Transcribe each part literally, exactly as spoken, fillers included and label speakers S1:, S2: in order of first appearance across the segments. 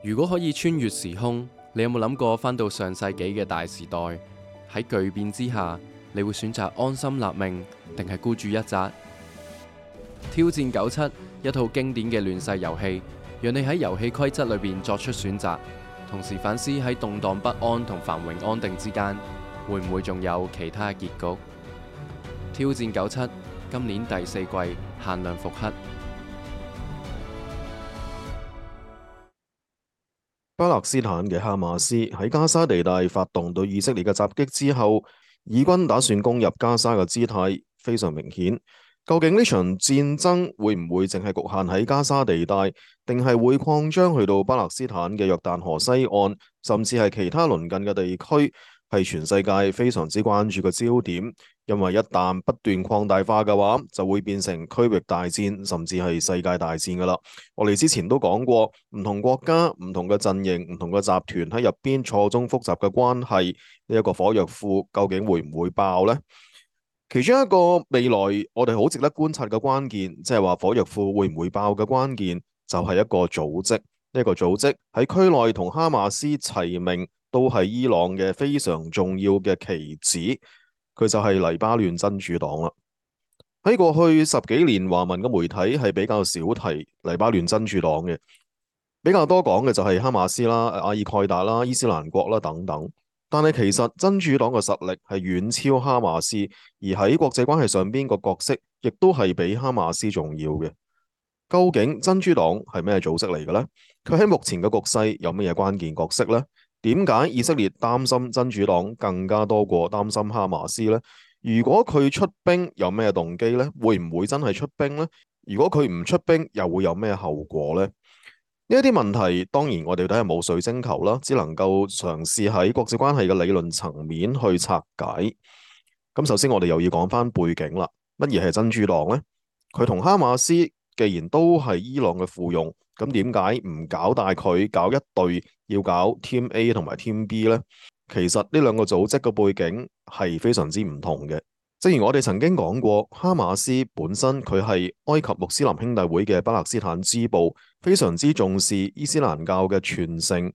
S1: 如果可以穿越時空，你有冇諗過返到上世紀嘅大時代？喺巨變之下，你會選擇安心立命，定係孤注一擲？挑戰九七，一套經典嘅亂世遊戲，讓你喺遊戲規則裏邊作出選擇，同時反思喺動盪不安同繁榮安定之間，會唔會仲有其他結局？挑戰九七，今年第四季限量復刻。
S2: 巴勒斯坦嘅哈馬斯喺加沙地帶發動對以色列嘅襲擊之後，以軍打算攻入加沙嘅姿態非常明顯。究竟呢場戰爭會唔會淨係局限喺加沙地帶，定係會擴張去到巴勒斯坦嘅約旦河西岸，甚至係其他鄰近嘅地區，係全世界非常之關注嘅焦點。因為一旦不斷擴大化嘅話，就會變成區域大戰，甚至係世界大戰噶啦。我哋之前都講過，唔同國家、唔同嘅陣營、唔同嘅集團喺入邊錯綜複雜嘅關係，呢一個火藥庫究竟會唔會爆呢？其中一個未來我哋好值得觀察嘅關鍵，即係話火藥庫會唔會爆嘅關鍵，就係一個組織。呢一個組織喺區內同哈馬斯齊名，都係伊朗嘅非常重要嘅棋子。佢就係黎巴嫩真主黨啦。喺過去十幾年，華文嘅媒體係比較少提黎巴嫩真主黨嘅，比較多講嘅就係哈馬斯啦、阿爾蓋達啦、伊斯蘭國啦等等。但係其實真主黨嘅實力係遠超哈馬斯，而喺國際關係上邊個角色亦都係比哈馬斯重要嘅。究竟真主黨係咩組織嚟嘅呢？佢喺目前嘅局勢有咩嘢關鍵角色呢？點解以色列擔心真主黨更加多過擔心哈馬斯呢？如果佢出兵有咩動機呢？會唔會真係出兵呢？如果佢唔出兵又會有咩後果呢？呢一啲問題當然我哋都係冇水晶球啦，只能夠嘗試喺國際關係嘅理論層面去拆解。咁首先我哋又要講翻背景啦。乜嘢係真主黨呢？佢同哈馬斯既然都係伊朗嘅附庸，咁點解唔搞大佢，搞一隊要搞 Team A 同埋 Team B 呢？其實呢兩個組織嘅背景係非常之唔同嘅。正如我哋曾經講過，哈馬斯本身佢係埃及穆斯林兄弟會嘅巴勒斯坦支部，非常之重視伊斯蘭教嘅傳承，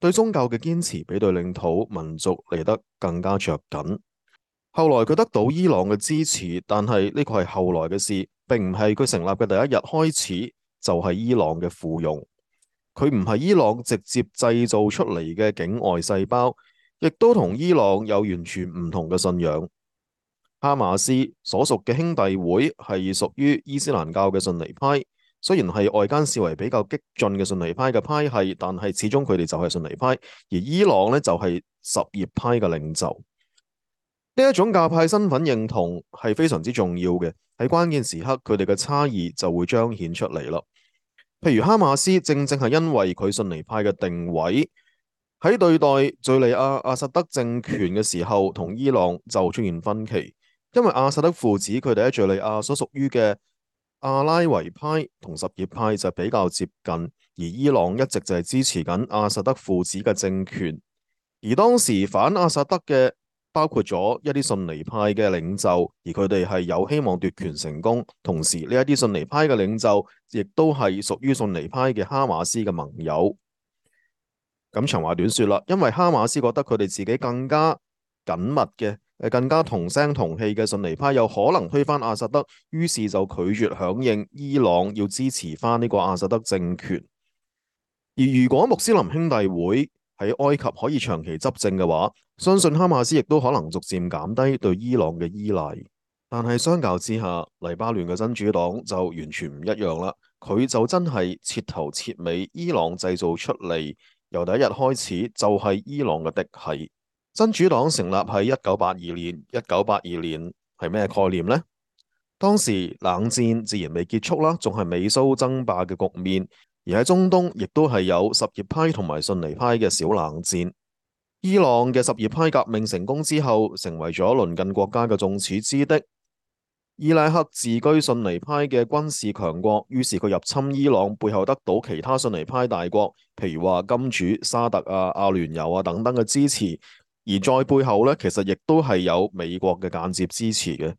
S2: 對宗教嘅堅持比對領土民族嚟得更加着緊。後來佢得到伊朗嘅支持，但係呢個係後來嘅事，並唔係佢成立嘅第一日開始就係伊朗嘅附庸。佢唔係伊朗直接製造出嚟嘅境外細胞，亦都同伊朗有完全唔同嘅信仰。哈馬斯所屬嘅兄弟會係屬於伊斯蘭教嘅遜尼派，雖然係外間視為比較激進嘅遜尼派嘅派系，但係始終佢哋就係遜尼派，而伊朗呢，就係什葉派嘅領袖。呢一種教派身份認同係非常之重要嘅，喺關鍵時刻佢哋嘅差異就會彰顯出嚟啦。譬如哈馬斯正正係因為佢遜尼派嘅定位，喺對待敘利亞阿薩德政權嘅時候，同伊朗就出現分歧。因為阿薩德父子佢哋喺敘利亞所屬於嘅阿拉維派同什葉派就比較接近，而伊朗一直就係支持緊阿薩德父子嘅政權。而當時反阿薩德嘅包括咗一啲遜尼派嘅領袖，而佢哋係有希望奪權成功。同時呢一啲遜尼派嘅領袖亦都係屬於遜尼派嘅哈馬斯嘅盟友。咁長話短說啦，因為哈馬斯覺得佢哋自己更加緊密嘅，誒更加同聲同氣嘅遜尼派有可能推翻阿薩德，於是就拒絕響應伊朗要支持翻呢個阿薩德政權。而如果穆斯林兄弟會喺埃及可以長期執政嘅話，相信哈馬斯亦都可能逐漸減低對伊朗嘅依賴。但係相較之下，黎巴嫩嘅真主黨就完全唔一樣啦。佢就真係徹頭徹尾伊朗製造出嚟，由第一日開始就係伊朗嘅嫡系。真主黨成立喺一九八二年，一九八二年係咩概念呢？當時冷戰自然未結束啦，仲係美蘇爭霸嘅局面。而喺中東亦都係有什葉派同埋遜尼派嘅小冷戰。伊朗嘅什葉派革命成功之後，成為咗鄰近國家嘅眾矢之的。伊拉克自居遜尼派嘅軍事強國，於是佢入侵伊朗背後得到其他遜尼派大國，譬如話金主沙特啊、阿聯酋啊等等嘅支持。而在背後呢，其實亦都係有美國嘅間接支持嘅。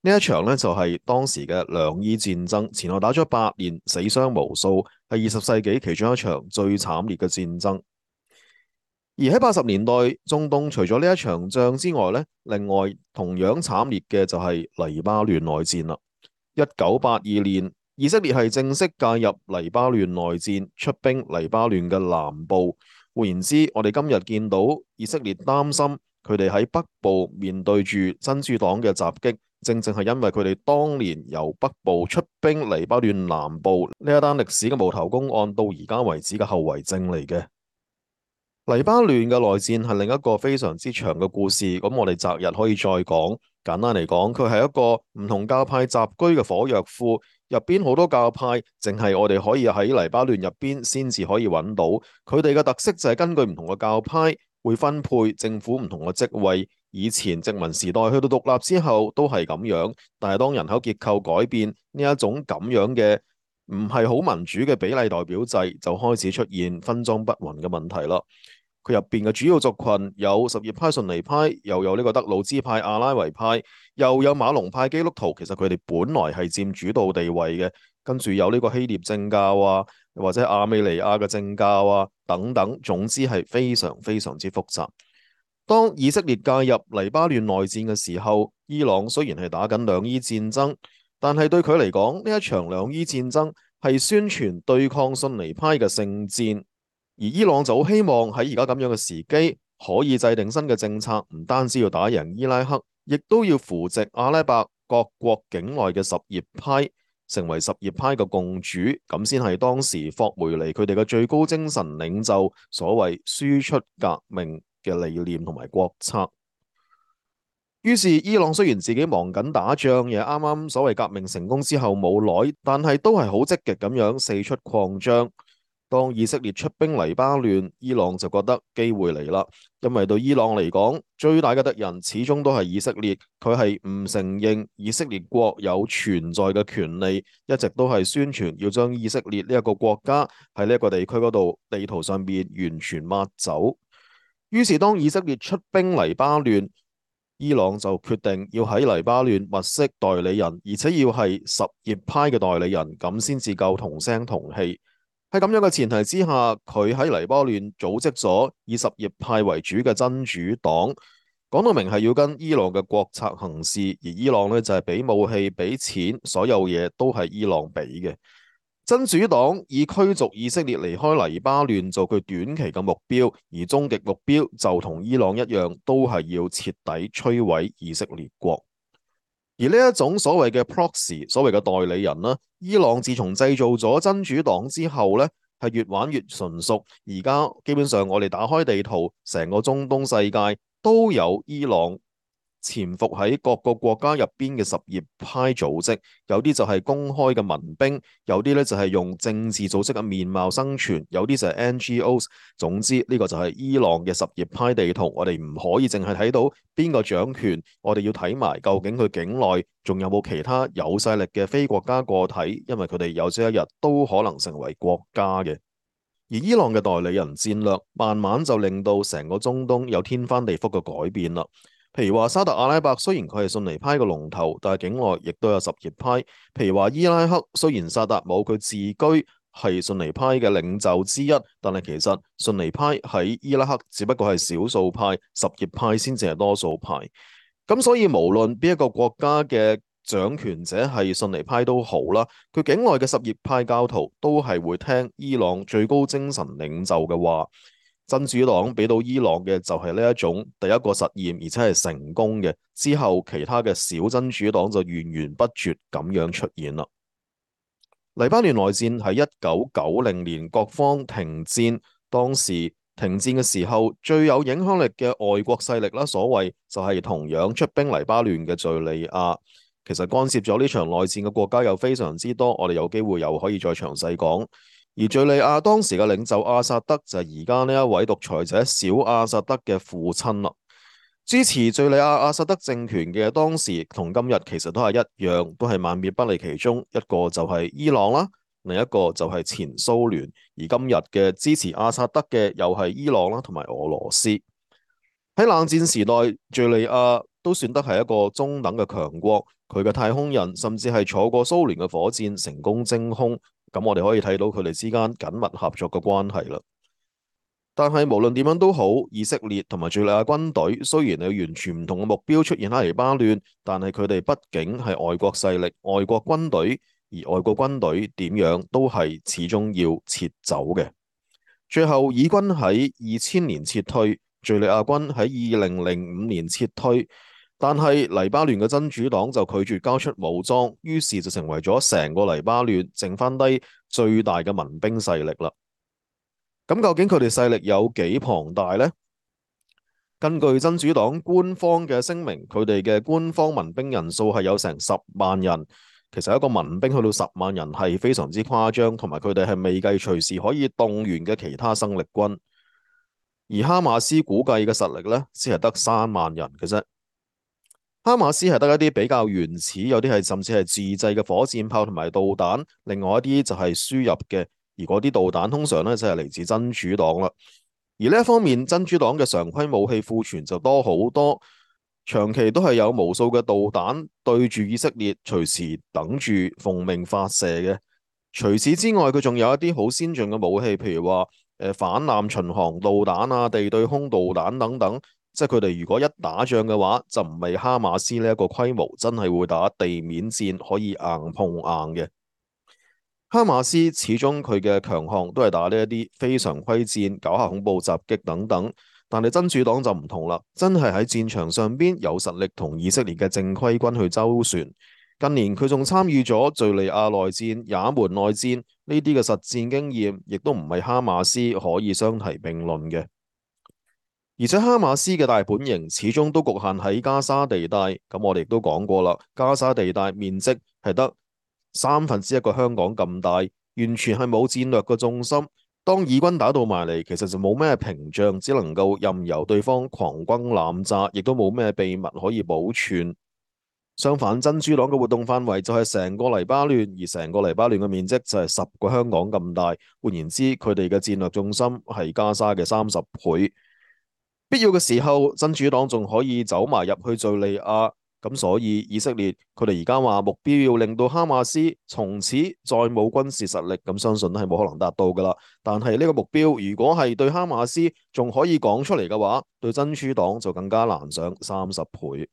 S2: 呢一場呢，就係當時嘅兩伊戰爭，前後打咗八年，死傷無數，係二十世紀其中一場最慘烈嘅戰爭。而喺八十年代，中東除咗呢一場仗之外呢，另外同樣慘烈嘅就係黎巴嫩內戰啦。一九八二年，以色列係正式介入黎巴嫩內戰，出兵黎巴嫩嘅南部。換言之，我哋今日見到以色列擔心佢哋喺北部面對住真主黨嘅襲擊，正正係因為佢哋當年由北部出兵黎巴嫩南部呢一單歷史嘅無頭公案到而家為止嘅後遺症嚟嘅。黎巴嫩嘅內戰係另一個非常之長嘅故事，咁我哋擇日可以再講。簡單嚟講，佢係一個唔同教派集居嘅火藥庫，入邊好多教派，淨係我哋可以喺黎巴嫩入邊先至可以揾到。佢哋嘅特色就係根據唔同嘅教派會分配政府唔同嘅職位。以前殖民時代去到獨立之後都係咁樣，但係當人口結構改變，呢一種咁樣嘅唔係好民主嘅比例代表制就開始出現分贓不勻嘅問題啦。佢入邊嘅主要族群有什葉派、遜尼派，又有呢個德魯茲派、阿拉維派，又有馬龍派基督徒。其實佢哋本來係佔主導地位嘅，跟住有呢個希臘正教啊，或者亞美尼亞嘅正教啊等等。總之係非常非常之複雜。當以色列介入黎巴嫩內戰嘅時候，伊朗雖然係打緊兩伊戰爭，但係對佢嚟講，呢一場兩伊戰爭係宣傳對抗遜尼派嘅聖戰。而伊朗就好希望喺而家咁樣嘅時機，可以制定新嘅政策，唔單止要打贏伊拉克，亦都要扶植阿拉伯各國境內嘅什葉派，成為什葉派嘅共主，咁先係當時霍梅尼佢哋嘅最高精神領袖所謂輸出革命嘅理念同埋國策。於是伊朗雖然自己忙緊打仗，亦啱啱所謂革命成功之後冇耐，但係都係好積極咁樣四出擴張。當以色列出兵黎巴嫩，伊朗就覺得機會嚟啦，因為對伊朗嚟講，最大嘅敵人始終都係以色列，佢係唔承認以色列國有存在嘅權利，一直都係宣傳要將以色列呢一個國家喺呢一個地區嗰度地圖上邊完全抹走。於是當以色列出兵黎巴嫩，伊朗就決定要喺黎巴嫩物色代理人，而且要係什葉派嘅代理人，咁先至夠同聲同氣。喺咁樣嘅前提之下，佢喺黎巴嫩組織咗以什葉派為主嘅真主黨，講到明係要跟伊朗嘅國策行事，而伊朗呢，就係俾武器、俾錢，所有嘢都係伊朗俾嘅。真主黨以驅逐以色列離開黎巴嫩做佢短期嘅目標，而終極目標就同伊朗一樣，都係要徹底摧毀以色列國。而呢一種所謂嘅 proxy， 所謂嘅代理人啦，伊朗自從製造咗真主黨之後呢，係越玩越純熟。而家基本上我哋打開地圖，成個中東世界都有伊朗潛伏喺各個國家入邊嘅什葉派組織，有啲就係公開嘅民兵，有啲咧就係用政治組織嘅面貌生存，有啲就係 N G Os。總之呢個就係伊朗嘅什葉派地圖，我哋唔可以淨係睇到邊個掌權，我哋要睇埋究竟佢境內仲有冇其他有勢力嘅非國家個體，因為佢哋有朝一日都可能成為國家嘅。而伊朗嘅代理人戰略，慢慢就令到成個中東有天翻地覆嘅改變啦。譬如話沙特阿拉伯雖然佢係遜尼派嘅龍頭，但係境內亦都有什葉派。譬如話伊拉克雖然薩達姆佢自居係遜尼派嘅領袖之一，但係其實遜尼派喺伊拉克只不過係少數派，什葉派先至係多數派。咁所以無論邊一個國家嘅掌權者係遜尼派都好啦，佢境內嘅什葉派教徒都係會聽伊朗最高精神領袖嘅話。真主黨俾到伊朗嘅就係呢一種第一個實驗，而且係成功嘅。之後其他嘅小真主黨就源源不絕咁樣出現啦。黎巴嫩內戰喺一九九零年各方停戰，當時停戰嘅時候最有影響力嘅外國勢力啦，所謂就係同樣出兵黎巴嫩嘅敘利亞。其實干涉咗呢場內戰嘅國家又非常之多，我哋有機會又可以再詳細講。而敘利亞當時嘅領袖阿薩德就係而家呢一位獨裁者小阿薩德嘅父親啦。支持敘利亞阿薩德政權嘅當時同今日其實都係一樣，都係萬變不離其宗。一個就係伊朗啦，另一個就係前蘇聯。而今日嘅支持阿薩德嘅又係伊朗啦，同埋俄羅斯。喺冷戰時代，敘利亞都算得係一個中等嘅強國。佢嘅太空人甚至係坐過蘇聯嘅火箭成功升空，咁我哋可以睇到佢哋之間緊密合作嘅關係啦。但係無論點樣都好，以色列同埋敘利亞軍隊雖然有完全唔同嘅目標出現喺黎巴嫩，但係佢哋畢竟係外國勢力、外國軍隊，而外國軍隊點樣都係始終要撤走嘅。最後，以軍喺二千年撤退，敘利亞軍喺二零零五年撤退，但係黎巴嫩嘅真主黨就拒絕交出武裝，於是就成為咗成個黎巴嫩剩翻低最大嘅民兵勢力啦。咁究竟佢哋勢力有幾龐大呢？根據真主黨官方嘅聲明，佢哋嘅官方民兵人數係有成十萬人。其實一個民兵去到十萬人係非常之誇張，同埋佢哋係未計隨時可以動員嘅其他生力軍。而哈馬斯估計嘅實力呢，先係得三萬人嘅啫。哈馬斯係得一啲比較原始，有啲係甚至係自製嘅火箭炮同埋導彈，另外一啲就係輸入嘅。而嗰啲導彈通常咧就係嚟自真主黨啦，而呢一方面真主黨嘅常規武器庫存就多好多，長期都係有無數嘅導彈對住以色列，隨時等住奉命發射嘅。除此之外，佢仲有一啲好先進嘅武器，譬如話誒反艦巡航導彈啊、地對空導彈等等，即係佢哋如果一打仗嘅話，就唔係哈馬斯呢一個規模，真係會打地面戰，可以硬碰硬嘅。哈馬斯始終佢嘅強項都係打呢一啲非常規戰、搞下恐怖襲擊等等，但係真主黨就唔同啦，真係喺戰場上邊有實力同以色列嘅正規軍去周旋。近年佢仲參與咗敘利亞內戰、也門內戰呢啲嘅實戰經驗，亦都唔係哈馬斯可以相提並論嘅。而且哈馬斯嘅大本營始終都局限喺加沙地帶，咁我哋亦都講過啦，加沙地帶面積係得三分之一個香港咁大，完全係冇戰略嘅重心。當以軍打到埋嚟，其實就冇咩屏障，只能夠任由對方狂轟濫炸，亦都冇咩秘密可以保存。相反，真主黨嘅活動範圍就係成個黎巴嫩，而成個黎巴嫩嘅面積就係十個香港咁大。換言之，佢哋嘅戰略重心係加沙嘅三十倍。必要嘅時候，真主黨仲可以走埋入去敘利亞。咁所以以色列佢哋而家話目標要令到哈馬斯從此再冇軍事實力，咁相信都係冇可能達到噶啦。但係呢個目標如果係對哈馬斯仲可以講出嚟嘅話，對真主黨就更加難上三十倍。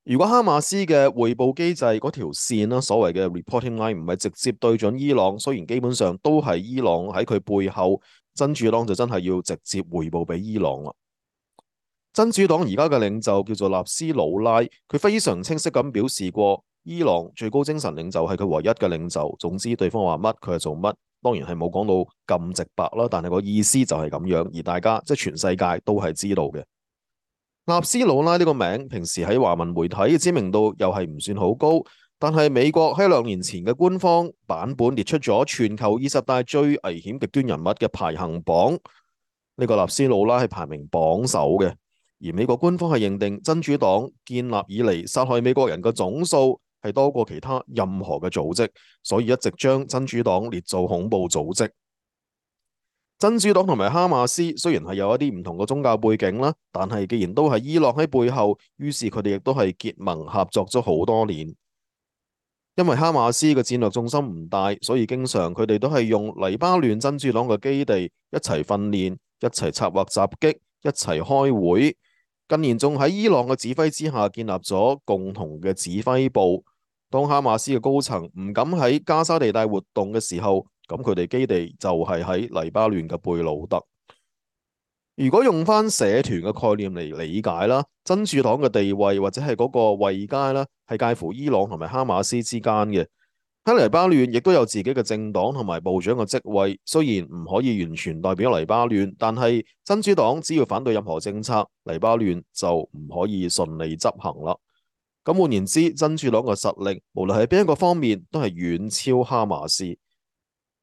S2: 如果哈馬斯嘅匯報機制嗰條線啦，所謂嘅 reporting line 唔係直接對準伊朗，雖然基本上都係伊朗喺佢背後，真主黨就真係要直接匯報俾伊朗啦。真主黨而家嘅領袖叫做納斯魯拉，佢非常清晰咁表示過，伊朗最高精神領袖係佢唯一嘅領袖。總之對方話乜佢係做乜，當然係冇講到咁直白啦，但係個意思就係咁樣，而大家即係全世界都係知道嘅。納斯魯拉呢個名平時喺華文媒體嘅知名度又係唔算好高，但係美國喺兩年前嘅官方版本列出咗全球二十大最危險極端人物嘅排行榜，呢個納斯魯拉係排名榜首嘅。而美國官方係認定真主黨建立以嚟殺害美國人嘅總數係多過其他任何嘅組織，所以一直將真主黨列做恐怖組織。真主黨同埋哈馬斯雖然係有一啲唔同嘅宗教背景啦，但係既然都係伊朗喺背後，於是佢哋亦都係結盟合作咗好多年。因為哈馬斯嘅戰略重心唔大，所以經常佢哋都係用黎巴嫩真主黨嘅基地一齊訓練、一齊策劃襲擊、一齊開會。近年仲喺伊朗嘅指揮之下建立咗共同嘅指揮部。當哈馬斯嘅高層唔敢喺加沙地帶活動嘅時候，咁佢哋基地就係喺黎巴嫩嘅貝魯特。如果用翻社團嘅概念嚟理解啦，真主黨嘅地位或者係嗰個位階啦，係介乎伊朗同埋哈馬斯之間嘅。喺黎巴嫩亦都有自己嘅政黨同埋部長嘅職位，雖然唔可以完全代表黎巴嫩，但係真主黨只要反對任何政策，黎巴嫩就唔可以順利執行啦。咁換言之，真主黨嘅實力無論係邊一個方面都係遠超哈馬斯。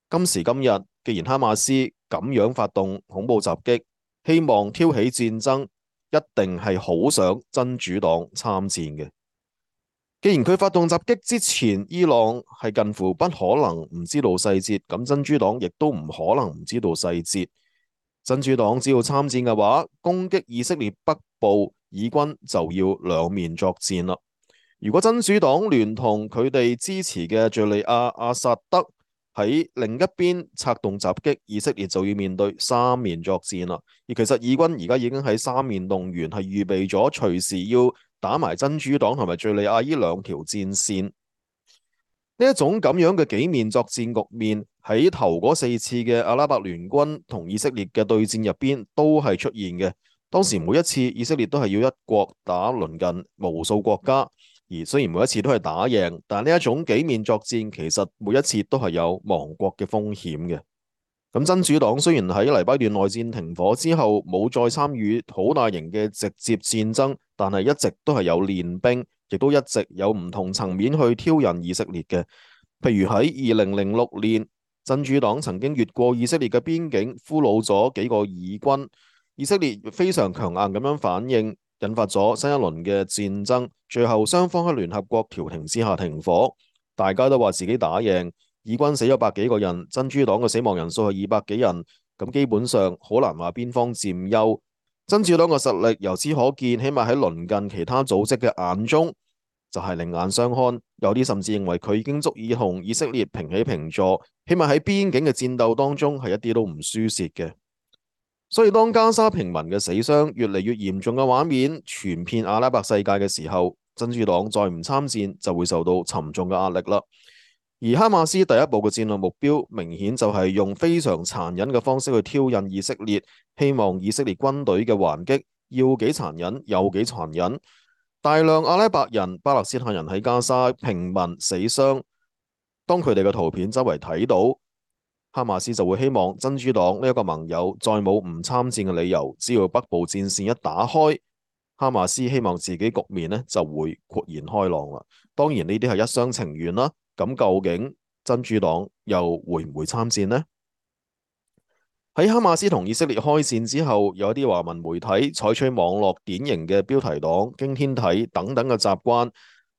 S2: 今時今日，既然哈馬斯咁樣發動恐怖襲擊，希望挑起戰爭，一定係好想真主黨參戰嘅。既然佢發動襲擊之前，伊朗係近乎不可能唔知道細節，咁真主黨亦都唔可能唔知道細節。真主黨只要參戰嘅話，攻擊以色列北部，以軍就要兩面作戰啦。如果真主黨聯同佢哋支持嘅敘利亞阿薩德喺另一邊策動襲擊，以色列就要面對三面作戰啦。而其實以軍而家已經喺三面動員，係預備咗隨時要打埋真主黨同埋敘利亞呢兩條戰線。呢一種咁樣嘅幾面作戰局面，喺頭嗰四次嘅阿拉伯聯軍同以色列嘅對戰入邊都係出現嘅。當時每一次以色列都係要一國打鄰近無數國家，而雖然每一次都係打贏，但呢一種幾面作戰其實每一次都係有亡國嘅風險嘅。咁真主黨雖然喺黎巴嫩內戰停火之後冇再參與好大型嘅直接戰爭，但係一直都係有練兵，亦都一直有唔同層面去挑釁以色列嘅。譬如喺二零零六年，真主黨曾經越過以色列嘅邊境，俘虜咗幾個以軍。以色列非常強硬咁樣反應，引發咗新一輪嘅戰爭。最後雙方喺聯合國調停之下停火，大家都話自己打贏。以軍死咗百幾個人，真主黨嘅死亡人數係二百幾人，咁基本上好難話邊方佔優。真主黨嘅實力由此可見，起碼喺鄰近其他組織嘅眼中就係另眼相看。有啲甚至認為佢已經足以同以色列平起平坐，起碼喺邊境嘅戰鬥當中係一啲都唔輸蝕嘅。所以當加沙平民嘅死傷越嚟越嚴重嘅畫面傳遍阿拉伯世界嘅時候，真主黨再唔參戰就會受到沉重嘅壓力啦。而哈馬斯第一步嘅戰略目標明顯就係用非常殘忍嘅方式去挑釁以色列，希望以色列軍隊嘅還擊要幾殘忍有幾殘忍。大量阿拉伯人、巴勒斯坦人喺加沙平民死傷，當佢哋嘅圖片周圍睇到，哈馬斯就會希望真主黨呢一個盟友再冇唔參戰嘅理由，只要北部戰線一打開，哈馬斯希望自己局面呢就會豁然開朗啦。當然呢啲係一廂情願啦。咁究竟真主黨又會唔會參戰呢？喺哈馬斯同以色列開戰之後，有一啲華文媒體採取網絡典型嘅標題黨、驚天體等等嘅習慣，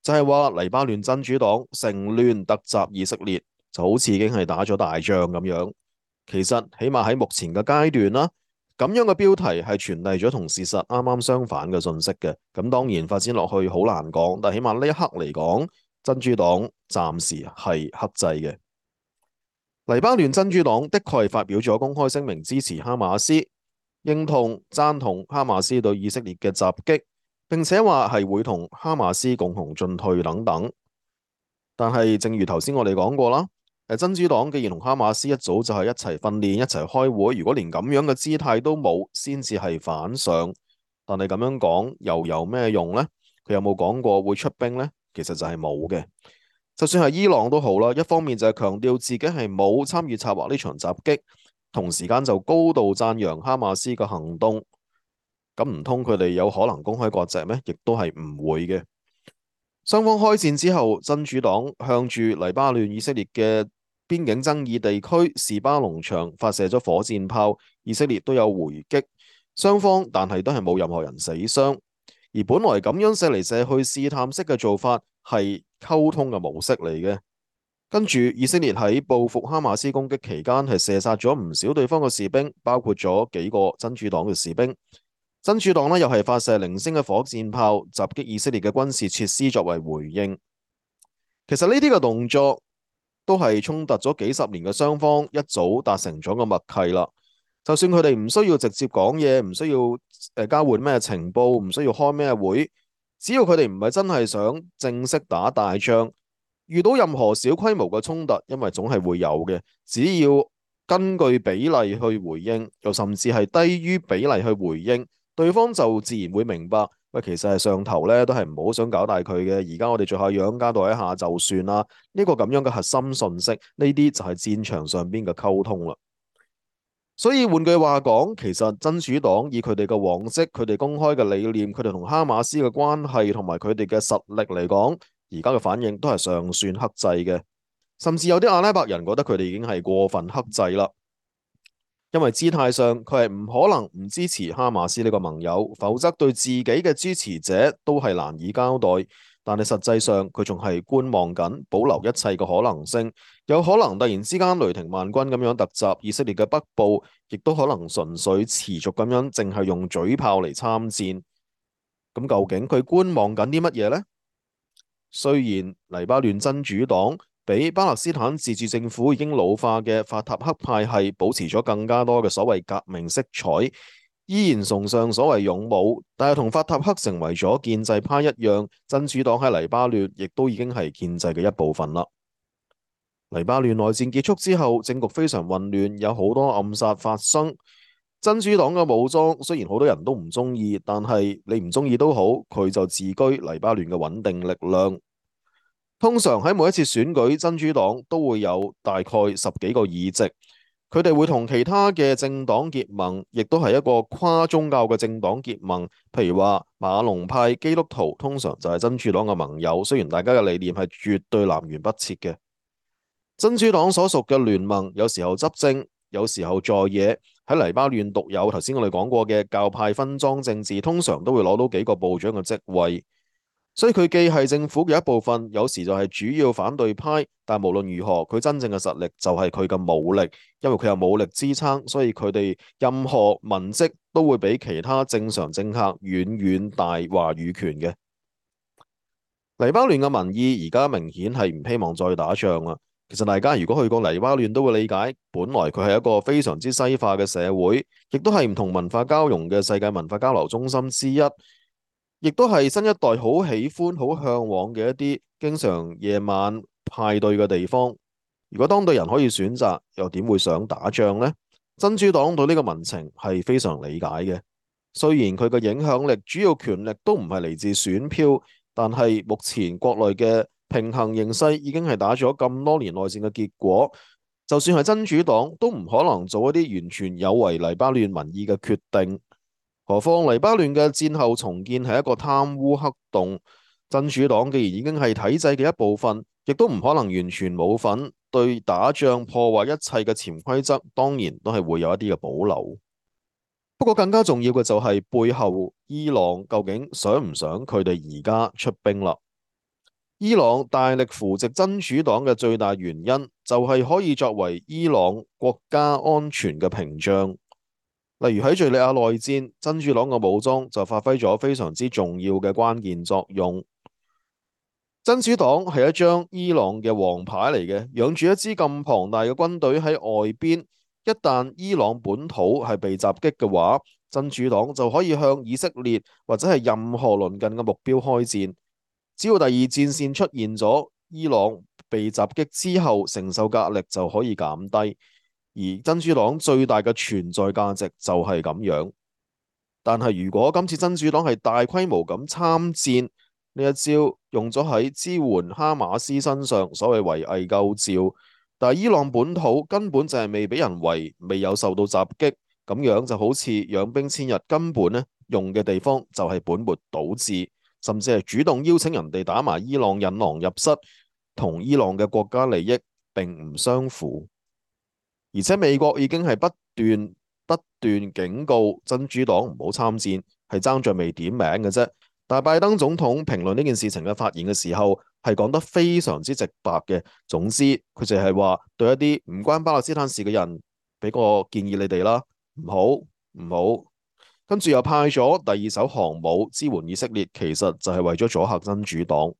S2: 就係話黎巴嫩真主黨乘亂突襲以色列，就好似已經係打咗大仗咁樣。其實起碼喺目前嘅階段啦，咁樣嘅標題係傳遞咗同事實啱啱相反嘅信息嘅。咁當然發展落去好難講，但起碼呢一刻嚟講，真主黨暫時係克制嘅。黎巴嫩真主黨的確係發表咗公開聲明支持哈馬斯，認同贊同哈馬斯對以色列嘅襲擊，並且話係會同哈馬斯共同進退等等。但係正如頭先我哋講過啦，真主黨既然同哈馬斯一早就係一齊訓練、一齊開會，如果連咁樣嘅姿態都冇，先至係反常。但係咁樣講又有咩用呢？佢有冇講過會出兵呢？其實就係冇嘅。就算係伊朗都好啦，一方面就係強調自己係冇參與策劃呢場襲擊，同時間就高度讚揚哈馬斯嘅行動。咁唔通佢哋有可能公開割席咩？亦都係唔會嘅。雙方開戰之後，真主黨向住黎巴嫩以色列嘅邊境爭議地區士巴農場發射咗火箭炮，以色列都有回擊，雙方但係都係冇任何人死傷。而本來咁樣射嚟射去試探式嘅做法係溝通嘅模式嚟嘅。跟住以色列喺報復哈馬斯攻擊期間係射殺咗唔少對方嘅士兵，包括咗幾個真主黨嘅士兵。真主黨呢又係發射零星嘅火箭炮襲擊以色列嘅軍事設施作為回應。其實呢啲嘅動作都係衝突咗幾十年嘅雙方一早達成咗個默契啦。就算佢哋唔需要直接講嘢，唔需要誒交換咩情報，唔需要開咩會，只要佢哋唔係真係想正式打大仗，遇到任何小規模嘅衝突，因為總係會有嘅，只要根據比例去回應，又甚至係低於比例去回應，對方就自然會明白，喂，其實係上頭咧都係唔好想搞大佢嘅，而家我哋做下樣交代一下就算啦。呢個咁樣嘅核心信息，呢啲就係戰場上邊嘅溝通啦。所以換句話講，其實真主黨以佢哋嘅往績、佢哋公開嘅理念、佢哋同哈馬斯嘅關係同埋佢哋嘅實力嚟講，而家嘅反應都係尚算克制嘅。甚至有啲阿拉伯人覺得佢哋已經係過分克制啦，因為姿態上佢係唔可能唔支持哈馬斯呢個盟友，否則對自己嘅支持者都係難以交代。但係實際上佢仲係觀望緊，保留一切嘅可能性，有可能突然之間雷霆萬鈞咁樣突襲以色列嘅北部，亦都可能純粹持續咁樣淨係用嘴炮嚟參戰。咁究竟佢觀望緊啲乜嘢呢？雖然黎巴嫩真主黨比巴勒斯坦自治政府已經老化嘅法塔赫派系保持咗更加多嘅所謂革命色彩，依然崇尚所謂勇武，但係同法塔赫成為咗建制派一樣，真主黨喺黎巴嫩亦都已經係建制嘅一部分啦。黎巴嫩內戰結束之後，政局非常混亂，有好多暗殺發生。真主黨嘅武裝雖然好多人都唔中意，但係你唔中意都好，佢就自居黎巴嫩嘅穩定力量。通常喺每一次選舉，真主黨都會有大概十幾個議席，佢哋會同其他嘅政黨結盟，亦都係一個跨宗教嘅政黨結盟。譬如話馬龍派基督徒通常就係真主黨嘅盟友，雖然大家嘅理念係絕對南轅北轍嘅。真主黨所屬嘅聯盟有時候執政，有時候在野。喺黎巴嫩獨有頭先我哋講過嘅教派分贓政治，通常都會攞到幾個部長嘅職位。所以佢既係政府嘅一部分，有時就係主要反對派，但無論如何，佢真正嘅實力就係佢嘅武力，因為佢有武力支撐，所以佢哋任何文職都會比其他正常政客遠遠大話語權嘅。黎巴嫩嘅民意而家明顯係唔希望再打仗啦。其實大家如果去過黎巴嫩都會理解，本來佢係一個非常之西化嘅社會，亦都係唔同文化交融嘅世界文化交流中心之一。亦都係新一代好喜歡、好向往嘅一啲經常夜晚派對嘅地方。如果當地人可以選擇，又點會想打仗呢？真主黨對呢個民情係非常理解嘅。雖然佢嘅影響力、主要權力都唔係嚟自選票，但係目前國內嘅平衡形勢已經係打咗咁多年內戰嘅結果。就算係真主黨，都唔可能做一啲完全有違黎巴嫩民意嘅決定。何況黎巴嫩嘅戰後重建係一個貪污黑洞，真主黨既然已經係體制嘅一部分，亦都唔可能完全冇份。對打仗破壞一切嘅潛規則，當然都係會有一啲嘅保留。不過更加重要嘅就係背後伊朗究竟想唔想佢哋而家出兵啦？伊朗大力扶植真主黨嘅最大原因，就係可以作為伊朗國家安全嘅屏障。例如喺敘利亞內戰，真主黨嘅武裝就發揮咗非常之重要嘅關鍵作用。真主黨係一張伊朗嘅王牌嚟嘅，養住一支咁龐大嘅軍隊喺外邊，一旦伊朗本土係被襲擊嘅話，真主黨就可以向以色列或者係任何鄰近嘅目標開戰。只要第二戰線出現咗，伊朗被襲擊之後承受嘅壓力就可以減低。而真主黨最大嘅存在價值就係咁樣，但係如果今次真主黨係大規模咁參戰，呢一招用咗喺支援哈馬斯身上，所謂圍魏救趙，但係伊朗本土根本就係未俾人圍，未有受到襲擊，咁樣就好似養兵千日，根本呢用嘅地方就係本末倒置，甚至係主動邀請人哋打埋伊朗引狼入室，同伊朗嘅國家利益並唔相符。而且美國已經係不斷不斷警告真主黨唔好參戰，係爭在未點名嘅啫。但係拜登總統評論呢件事情嘅發言嘅時候，係講得非常之直白嘅。總之，佢就係話對一啲唔關巴勒斯坦事嘅人，俾個建議你哋啦，唔好唔好。跟住又派咗第二艘航母支援以色列，其實就係為咗阻嚇真主黨。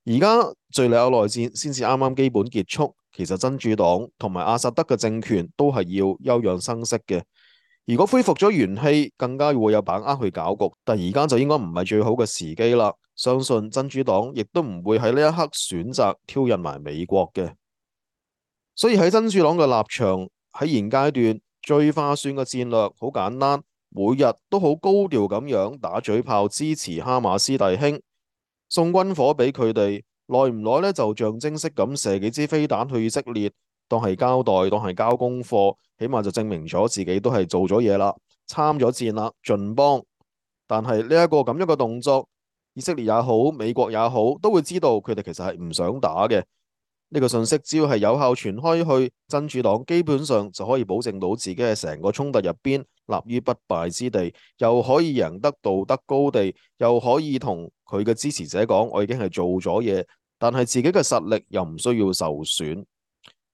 S2: 而家敘利亞內戰先至啱啱基本結束。其實真主黨同埋阿薩德嘅政權都係要休養生息嘅。如果恢復咗元氣，更加會有把握去搞局。但而家就應該唔係最好嘅時機啦。相信真主黨亦都唔會喺呢一刻選擇挑釁埋美國嘅。所以喺真主黨嘅立場，喺現階段最划算嘅戰略好簡單，每日都好高調咁樣打嘴炮支持哈馬斯弟兄，送軍火俾佢哋。耐唔耐咧，就象徵式咁射幾支飛彈去以色列，當係交代，當係交功課，起碼就證明咗自己都係做咗嘢啦，參咗戰啦，盡幫。但係呢一個咁樣嘅動作，以色列也好，美國也好，都會知道佢哋其實係唔想打嘅。呢個信息只要係有效傳開去，真主黨基本上就可以保證到自己喺成個衝突入邊立於不敗之地，又可以贏得道德高地，又可以同佢嘅支持者講我已經係做咗嘢。但係自己嘅實力又唔需要受損。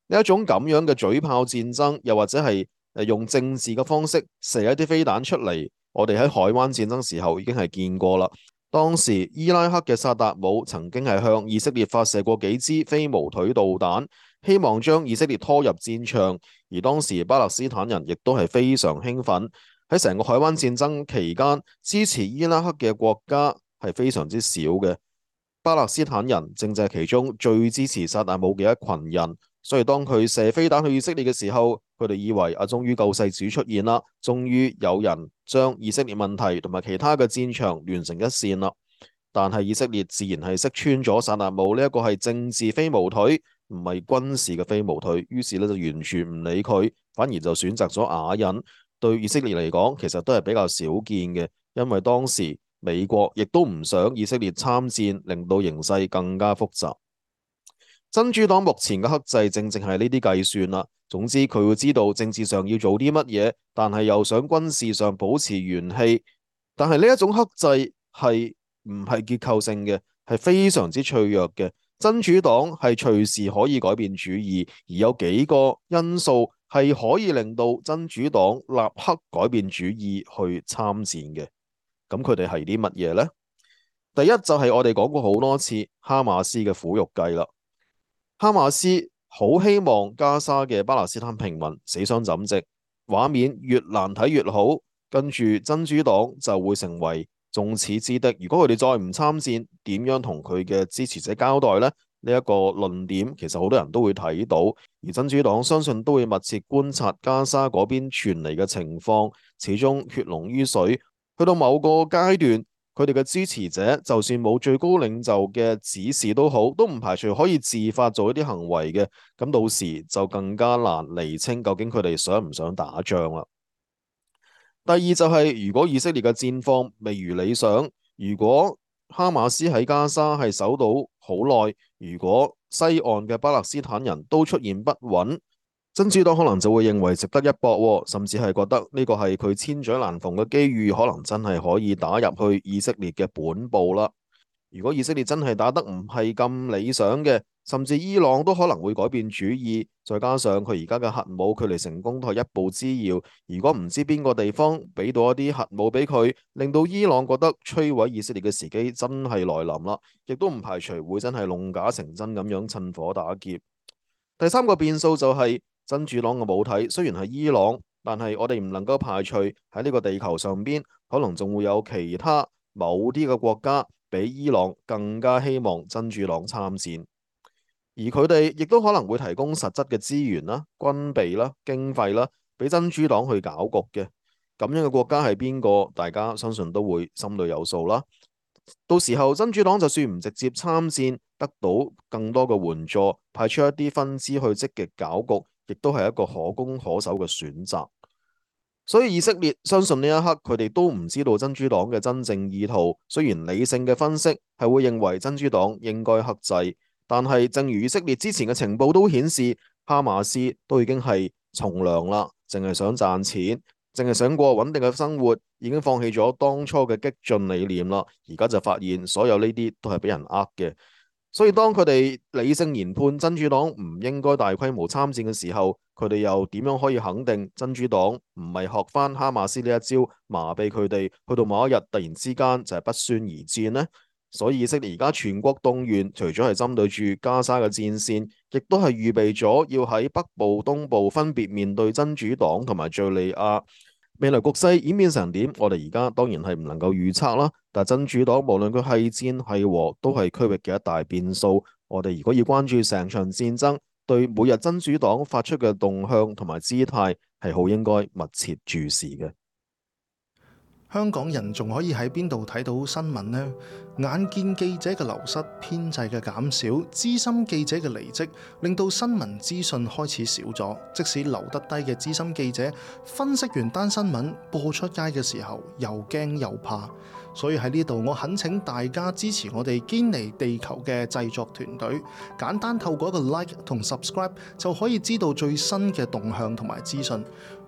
S2: 呢一種咁樣嘅嘴炮戰爭，又或者係誒用政治嘅方式射一啲飛彈出嚟，我哋喺海灣戰爭時候已經係見過啦。當時伊拉克嘅薩達姆曾經係向以色列發射過幾支飛毛腿導彈，希望將以色列拖入戰場。而當時巴勒斯坦人亦都係非常興奮。喺成個海灣戰爭期間，支持伊拉克嘅國家係非常之少嘅。巴勒斯坦人正正係其中最支持薩達姆嘅一群人。所以當佢射飛彈去以色列嘅時候，佢哋以為啊，終於救世主出現啦，終於有人將以色列問題同埋其他嘅戰場連成一線啦。但係以色列自然係識穿咗薩達姆呢一個係政治飛毛腿，唔係軍事嘅飛毛腿，於是咧就完全唔理佢，反而就選擇咗啞忍。對以色列嚟講，其實都係比較少見嘅，因為當時美國亦都唔想以色列參戰，令到形勢更加複雜。真主黨目前嘅克制正正係呢啲計算啦。總之佢會知道政治上要做啲乜嘢，但係又想軍事上保持元氣。但係呢一種克制係唔係結構性嘅，係非常之脆弱嘅。真主黨係隨時可以改變主意，而有幾個因素係可以令到真主黨立刻改變主意去參戰嘅。咁佢哋係啲乜嘢呢？第一就係我哋講過好多次哈馬斯嘅苦肉計啦。哈馬斯好希望加沙嘅巴勒斯坦平民死傷枕藉，畫面越難睇越好，跟住真主黨就會成為眾矢之的。如果佢哋再唔參戰，點樣同佢嘅支持者交代呢？呢一個論點其實好多人都會睇到，而真主黨相信都會密切觀察加沙嗰邊傳嚟嘅情況，始終血濃於水，去到某個階段，佢哋嘅支持者就算冇最高領袖嘅指示都好，都唔排除可以自發做一啲行為嘅。咁到時就更加難釐清究竟佢哋想唔想打仗啦。第二就係如果以色列嘅戰況未如理想，如果哈馬斯喺加沙係守到好耐，如果西岸嘅巴勒斯坦人都出現不穩，真主黨可能就會認為值得一搏，甚至係覺得呢個係佢千載難逢嘅機遇，可能真係可以打入去以色列嘅本部啦。如果以色列真係打得唔係咁理想嘅，甚至伊朗都可能會改變主意。再加上佢而家嘅核武距離成功都係一步之遙，如果唔知邊個地方俾到一啲核武俾佢，令到伊朗覺得摧毀以色列嘅時機真係來臨啦，亦都唔排除會真係弄假成真咁樣趁火打劫。第三個變數就係真主黨嘅母體雖然係伊朗，但係我哋唔能夠排除喺呢個地球上邊可能仲會有其他某啲嘅國家比伊朗更加希望真主黨參戰，而佢哋亦都可能會提供實質嘅資源啦、軍備啦、經費啦，俾真主黨去搞局嘅。咁樣嘅國家係邊個？大家相信都會心裏有數啦。到時候真主黨就算唔直接參戰，得到更多嘅援助，派出一啲分支去積極搞局，亦都係一個可攻可守嘅選擇。所以以色列相信呢一刻佢哋都唔知道真主黨嘅真正意圖。雖然理性嘅分析係會認為真主黨應該克制，但係正如以色列之前嘅情報都顯示，哈馬斯都已經係從良啦，淨係想賺錢，淨係想過穩定嘅生活，已經放棄咗當初嘅激進理念啦。而家就發現所有呢啲都係俾人呃嘅。所以當佢哋理性研判真主黨唔應該大規模參戰嘅時候，佢哋又點樣可以肯定真主黨唔係學翻哈馬斯呢一招麻痹佢哋，去到某一日突然之間就係不宣而戰呢？所以以色列而家全國動員，除咗係針對住加沙嘅戰線，亦都係預備咗要喺北部、東部分別面對真主黨同埋敘利亞。未來局勢演變成點，我哋而家當然係唔能夠預測啦。但真主黨無論佢係戰係和，都係區域嘅一大變數。我哋如果要關注成場戰爭，對每日真主黨發出嘅動向同埋姿態，係好應該密切注視嘅。
S3: 香港人仲可以喺邊度睇到新聞呢？眼見記者嘅流失、編制嘅減少、資深記者嘅離職，令到新聞資訊開始少咗。即使留得低嘅資深記者，分析完單新聞播出街嘅時候，又驚又怕。所以喺呢度，我懇請大家支持我哋堅尼地球嘅製作團隊，簡單透過一個 like 同 subscribe 就可以知道最新嘅動向同埋資訊。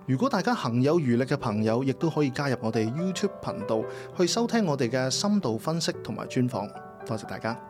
S3: 如果大家行有餘力嘅朋友，亦都可以加入我哋 YouTube 頻道去收聽我哋嘅深度分析同埋專訪。多謝大家。